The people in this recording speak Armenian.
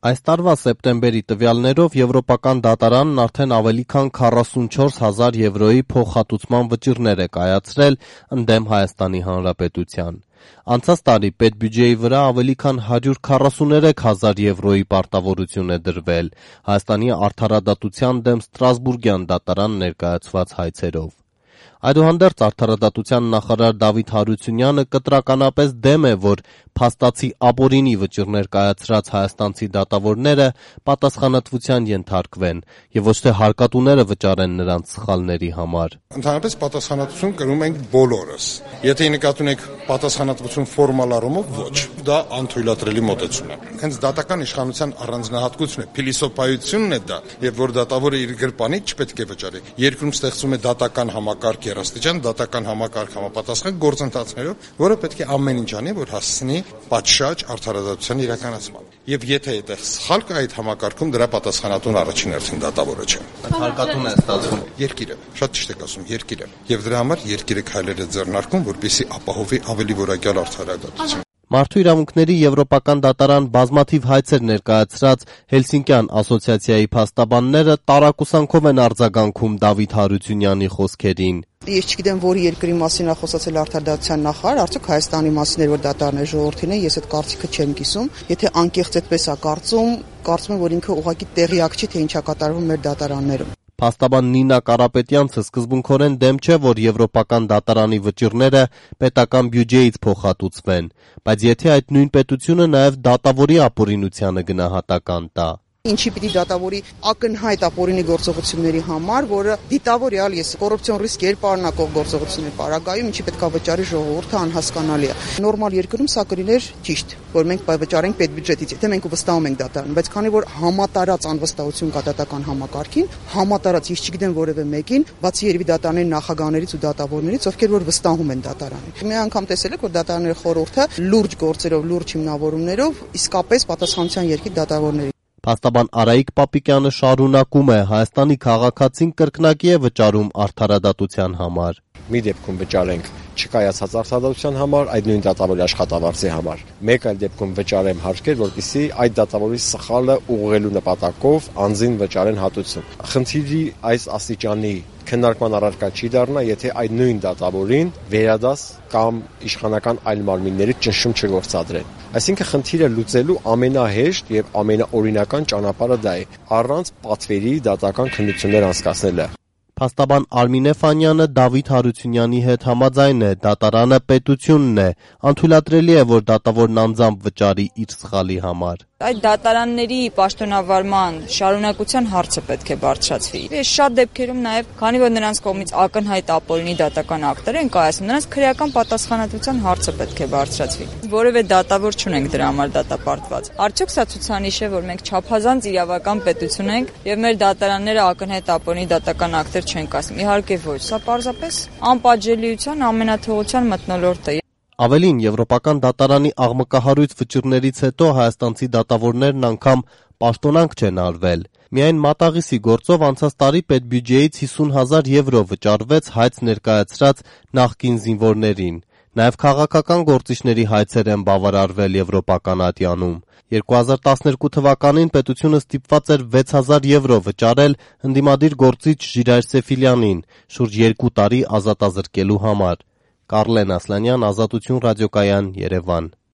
Այս տարվա սեպտեմբերի տվյալներով Եվրոպական դատարանն արդեն ավելի քան 44,000 եվրոյի փոխհատուցման վճիռներ է կայացրել ընդդեմ Հայաստանի Հանրապետության։ Անցած տարի պետբյուջեի վրա ավելի քան 143,000 եվրոյի պարտավորություն է դրվել Հայաստանի արդարադատության դեմ Ստրասբուրգյան դատարան ներկայացված հայցերով։ Այդուհանդերձ արդարադատության նախարար Դավիթ Հարությունյանը կտրականապես դեմ է, որ փաստացի ապօրինի վճիռներ կայացրած հայաստանցի դատավորները պատասխանատվության ենթարկվեն եւ ոչ թե հարկատուները վճարեն նրանց սխալների համար։ Ընդհանրապես պատասխանատվություն կրում ենք բոլորս։ Եթե նկատի ունեք պատասխանատվություն ֆորմալ առումով, ոչ, դա անթույլատրելի մոտեցում է։ Հենց դատական իշխանության առանձնահատկությունն է, փիլիսոփայությունն է դա, եւ որ դատավորը իր գրպանից չպետք է վճարի։ Երկրում ստեղծում է դատական համակարգ երաստիճան, դատական համակարգ համապատասխան գործընթացներով, որը պետք է ամեն ինչ անի, որ հասցնի պատշաճ արդարադատության իրականացման։ Եվ եթե այդտեղ սխալ կա այդ համակարգում, դրա պատասխանատուն առաջին հերթին դատավորը չէ։ Հարկատուն է ստացվում երկիրը, շատ ճիշտ եք ասում, երկիրը։ Եվ դրա համար երկիրը քայլեր է ձեռնարկում, որպեսզի ապահովի ավելի որակյալ արդարադատություն։ Մարդու իրավունքների Եվրոպական դատարան բազմաթիվ հայցեր ներկայացրած Հելսինկյան ասոցիացիայի փաստաբանները տարակուսանքով են արձագանքում Դավիթ Հարությունյանի խոսքերին։ Ես չգիտեմ, որ երկրի մասին է խոսացել արդարադատության նախարար, արդյոք Հայաստանի մասին էր, որ դատարանների ժողովրդին է, ես այդ կարծիքը չեմ կիսում։ Եթե անկեղծ այդպես է կարծում եմ, որ ինքը ուղղակի տեղյակ չի, թե ինչ է կատարվում մեր դատարաններում։ Փաստաբան Նինա Կարապետյանցը սկզբունքորեն դեմ չէ, որ Եվրոպական դատարանի վճիռները պետական բյուջեից փոխհատուցվեն, բայց եթե այդ նույն պետությունը նաև դատավորի ապօրինությանը գնահատական տա։ Ինչի պիտի դատավորի ակնհայտ ապօրինի գործողությունների համար, որը դիտավորյալ ես կոռուպցիոն ռիսկ երբարնակող գործողությունների պարագայում, ինչի պետք է վճարի ժողովուրդը անհասկանալի է։ Նորմալ երկրում սա կլիներ ճիշտ, որ մենք վճարենք պետբյուջետից, եթե մենք վստահում ենք դատարանին, բայց քանի որ համատարած անվստահություն կա դատական համակարգին, համատարած ես չգիտեմ որևէ մեկին, բացի երևի դատարանների նախագահներից ու դատավորներից, ովքեր որ վստահում են դատարանին։ Մի անգամ տեսել եք, որ դատարանների խորհուրդը լուրջ գործերով, լուրջ հիմնավորումներով իսկապես պատասխանատվության երկիր դատավորների։ Փաստաբան Արայիկ Պապիկյանը շարունակում է. Հայաստանի քաղաքացին կրկնակի է վճարում արդարադատության համար։ Մի դեպքում վճարենք չկայացած արդարադատության համար, այդ նույն դատավորի աշխատավարձի համար։ Մեկ այլ դեպքում վճարեմ հարկեր, որպեսզի այդ դատավորի սխալը ուղղելու նպատակով անձին վճարեն հատուցում։ Խնդիրի այս աստիճանի քննարկման առարկա չի դառնա, եթե այդ նույն դատավորին վերադաս կամ իշխանական այլ մարմինների ճնշում չգործադրեն։ Այսինքն խնդիրը լուծելու ամենահեշտ եւ ամենաօրինական ճանապարհը դա է, առանց պատվերի դատական քննություններ անցկացնելը։ Փաստաբան Արմինե Ֆանյանը Դավիթ Հարությունյանի հետ համաձայն է, դատարանը պետությունն է, անթույլատրելի է, որ դատավորն անձամբ վճարի իր սխալի համար։ Այդ դատարանների պաշտոնավարման շարունակության հարցը պետք է բարձրացվի։ Ես շատ դեպքերում նաև, քանի որ նրանց կողմից ակնհայտ ապօրինի դատական ակտեր են կայացնում, նրանց քրեական պատասխանատվության հարցը պետք է բարձրացվի։ Որևէ դատավոր չունենք դրա համար դատապարտված։ Արդյոք սա ցուցանիշ է, որ մենք չափազանց իրավական պետություն ենք եւ մեր դատարանները ակնհայտ ապօրինի դատական ակտեր չեն կայացնում։ Իհարկե ոչ, սա պարզապես անպատժելիության ամենաթողության մթնոլորտը։ Ավելին, Եվրոպական դատարանի աղմկահարույց վճիռներից հետո հայաստանցի դատավորներն անգամ պաշտոնանկ չեն արվել։ Միայն մատաղիսի գործով անցած տարի պետբյուջեից 50,000 եվրո վճարվեց հայց ներկայացրած նախկին զինվորներին։ Նաև քաղաքական գործիչների հայցեր են բավարարվել Եվրոպական ատյանում։ 2012 թվականին պետությունը ստիպված էր 6,000 եվրո վճարել ընդդիմադիր գործիչ Ժիրայր Սեֆիլյանին, շուրջ 2 տարի ազատազրկելու համար։ Կարլեն Ասլանյան, Ազատություն ռադիոկայան, Երևան։